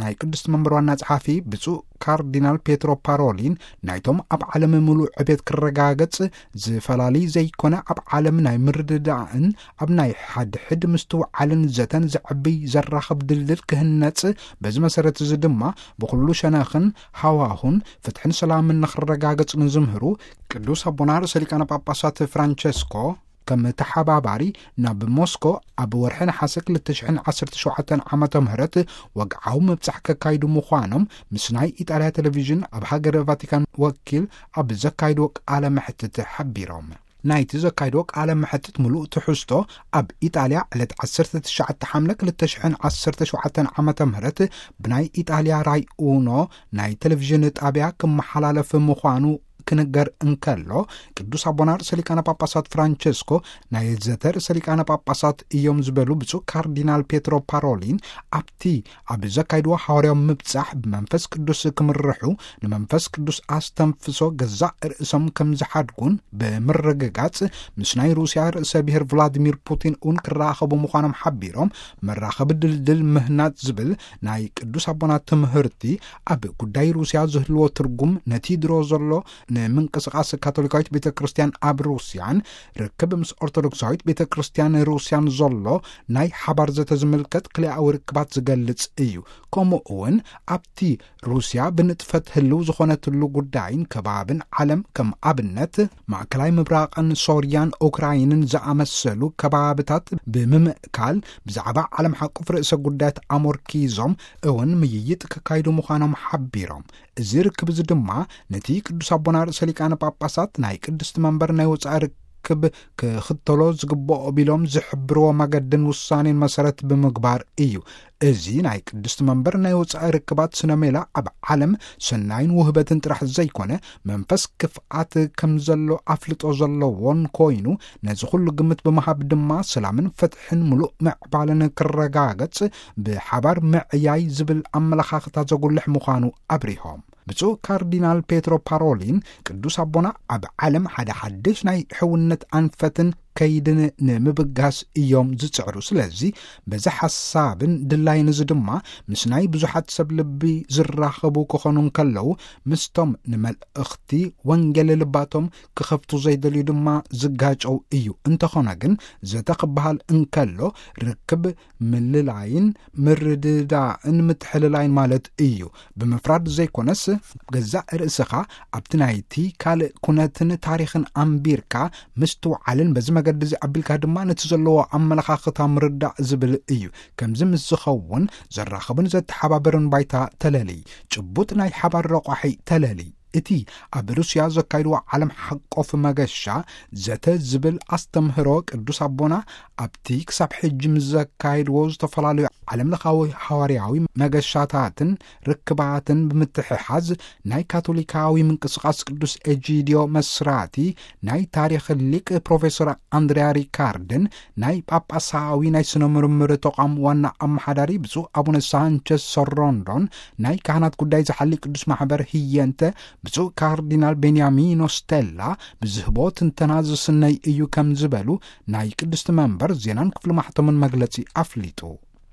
ናይ ቅድስቲ መንበር ዋና ጸሓፊ ብፁዕ ካርዲናል ፔትሮ ፓሮሊን፣ ናይቶም ኣብ ዓለም ምሉእ ዕቤት ክረጋገጽ፣ ዝፈላሊ ዘይኮነ ኣብ ዓለም ናይ ምርድዳእን ኣብ ናይ ሓድሕድ ምስትውዓልን ዘተን ዘዕብይ ዘራኽብ ድልድል ክህነጽ፣ በዚ መሰረት እዚ ድማ ብኹሉ ሸነኽን ሃዋሁን ፍትሕን ሰላምን ንኽረጋገጽ ንዝምህሩ ቅዱስ ኣቦና ርእሰ ሊቃነ ጳጳሳት ፍራንቸስኮ፣ ከም ተሓባባሪ ናብ ሞስኮ ኣብ ወርሒ ነሓሰ ክልተ ሽሕን ዓሰርተ ሸውዓተን ዓመተ ምህረት ወግዓዊ ምብጻሕ ከካይዱ ምዃኖም ምስ ናይ ኢጣልያ ቴሌቪዥን ኣብ ሃገረ ቫቲካን ወኪል ኣብ ዘካይድዎ ቃለ መሕትት ሓቢሮም። ናይቲ ዘካይድዎ ቃለ መሕትት ምሉእ ትሕዝቶ ኣብ ኢጣልያ ዕለት ዓሰርተ ትሽዓተ ሓምለ ክልተ ሽሕን ዓሰርተ ሸውዓተን ዓመተ ምህረት ብናይ ኢጣልያ ራይ ኡኖ ናይ ቴሌቪዥን ጣብያ ክመሓላለፍ ምዃኑ ክንገር እንከሎ፣ ቅዱስ ኣቦና ርእሰ ሊቃነ ጳጳሳት ፍራንቸስኮ ናይ ዘተ ርእሰ ሊቃነ ጳጳሳት እዮም ዝበሉ ብፁዕ ካርዲናል ፔትሮ ፓሮሊን፣ ኣብቲ ኣብ ዘካይድዎ ሓዋርያዊ ምብጻሕ ብመንፈስ ቅዱስ ክምርሑ፣ ንመንፈስ ቅዱስ ኣስተንፍሶ ገዛእ ርእሶም ከም ዝሓድጉን ብምርግጋጽ፣ ምስ ናይ ሩስያ ርእሰ ብሔር ቭላዲሚር ፑቲን እውን ክራኸቡ ምዃኖም ሓቢሮም፣ መራኸቢ ድልድል ምህናጽ ዝብል ናይ ቅዱስ ኣቦና ትምህርቲ ኣብ ጉዳይ ሩስያ ዝህልዎ ትርጉም፣ ነቲ ድሮ ዘሎ ንምንቅስቓስ ካቶሊካዊት ቤተ ክርስቲያን ኣብ ሩስያን ርክብ ምስ ኦርቶዶክሳዊት ቤተ ክርስቲያን ሩስያን ዘሎ ናይ ሓባር ዘተ ዝምልከት ክልኣዊ ርክባት ዝገልጽ እዩ። ከምኡ እውን ኣብቲ ሩስያ ብንጥፈት ህልው ዝኾነትሉ ጉዳይን ከባብን ዓለም፣ ከም ኣብነት ማእከላይ ምብራቕን ሶርያን ኡክራይንን ዝኣመሰሉ ከባብታት ብምምእካል፣ ብዛዕባ ዓለም ሓቁፍ ርእሰ ጉዳያት ኣሞርኪዞም እውን ምይይጥ ከካይዱ ምዃኖም ሓቢሮም። እዚ ርክብ እዚ ድማ ነቲ ቅዱስ ኣቦና ርእሰ ሊቃነ ጳጳሳት ናይ ቅድስቲ መንበር ናይ ወጻኢ ርክብ ክኽተሎ ዝግብኦ ቢሎም ዝሕብርዎ መገድን ውሳኔን መሰረት ብምግባር እዩ። እዚ ናይ ቅድስቲ መንበር ናይ ወጻኢ ርክባት ስነ ሜላ ኣብ ዓለም ሰናይን ውህበትን ጥራሕ ዘይኮነ፣ መንፈስ ክፍኣት ከም ዘሎ ኣፍልጦ ዘለዎን ኮይኑ፣ ነዚ ኩሉ ግምት ብምሃብ ድማ ሰላምን ፍትሕን ምሉእ ምዕባለን ክረጋገጽ ብሓባር ምዕያይ ዝብል ኣመለኻኽታ ዘጉልሕ ምዃኑ ኣብሪሆም። ብፁዕ ካርዲናል ፔትሮ ፓሮሊን፣ ቅዱስ ኣቦና ኣብ ዓለም ሓደ ሓድሽ ናይ ሕውነት ኣንፈትን ከይድን ንምብጋስ እዮም ዝጽዕሩ። ስለዚ በዚ ሓሳብን ድላይን እዚ ድማ ምስ ናይ ብዙሓት ሰብ ልቢ ዝራኸቡ ክኾኑ እንከለዉ፣ ምስቶም ንመልእኽቲ ወንጌል ልባቶም ክኸፍቱ ዘይደልዩ ድማ ዝጋጨው እዩ። እንተኾነ ግን ዘተ ክበሃል እንከሎ ርክብ ምልላይን ምርድዳእን ምትሕልላይን ማለት እዩ። ብምፍራድ ዘይኮነስ፣ ገዛእ ርእስኻ ኣብቲ ናይቲ ካልእ ኩነትን ታሪኽን ኣንቢርካ ምስትውዓልን በዚ መገዲ እዚ ኣቢልካ ድማ ነቲ ዘለዎ ኣመለኻኽታ ምርዳእ ዝብል እዩ። ከምዚ ምስ ዝኸውን ዘራኽብን ዘተሓባበርን ባይታ ተለሊ፣ ጭቡጥ ናይ ሓባር ረቋሒ ተለሊ። እቲ ኣብ ሩስያ ዘካይድዎ ዓለም ሓቆፍ መገሻ ዘተ ዝብል ኣስተምህሮ ቅዱስ ኣቦና ኣብቲ ክሳብ ሕጂ ምስ ዘካይድዎ ዝተፈላለዩ ዓለም ለኻዊ ሃዋርያዊ መገሻታትን ርክባትን ብምትሕሓዝ ናይ ካቶሊካዊ ምንቅስቓስ ቅዱስ ኤጂዲዮ መስራቲ ናይ ታሪኽ ሊቅ ፕሮፌሰር ኣንድሪያ ሪካርድን ናይ ጳጳሳዊ ናይ ስነ ምርምር ተቋም ዋና ኣመሓዳሪ ብፁዕ ኣቡነ ሳንቸስ ሶሮንዶን ናይ ካህናት ጉዳይ ዝሓሊ ቅዱስ ማሕበር ህየንተ ብፁዕ ካርዲናል ቤንያሚኖ ስቴላ ብዝህቦ ትንተና ዝስነይ እዩ ከም ዝበሉ ናይ ቅድስቲ መንበር ዜናን ክፍሊ ማሕተምን መግለጺ ኣፍሊጡ።